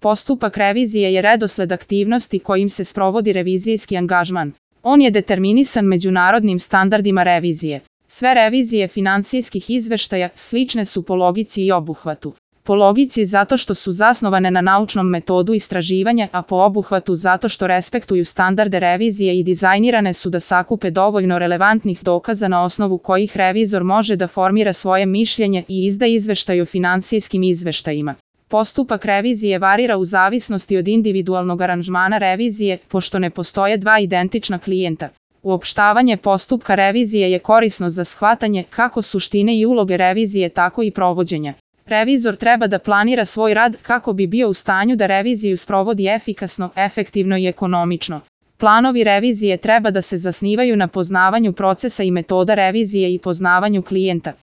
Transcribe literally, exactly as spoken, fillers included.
Postupak revizije je redosled aktivnosti kojim se sprovodi revizijski angažman. On je determinisan međunarodnim standardima revizije. Sve revizije finansijskih izveštaja slične su po logici i obuhvatu. Po logici zato što su zasnovane na naučnom metodu istraživanja, a po obuhvatu zato što respektuju standarde revizije i dizajnirane su da sakupe dovoljno relevantnih dokaza na osnovu kojih revizor može da formira svoje mišljenje i izda izveštaj o finansijskim izveštajima. Postupak revizije varira u zavisnosti od individualnog aranžmana revizije, pošto ne postoje dva identična klijenta. Uopštavanje postupka revizije je korisno za shvatanje kako suštine i uloge revizije, tako i provođenja. Revizor treba da planira svoj rad kako bi bio u stanju da reviziju sprovodi efikasno, efektivno i ekonomično. Planovi revizije treba da se zasnivaju na poznavanju procesa i metoda revizije i poznavanju klijenta.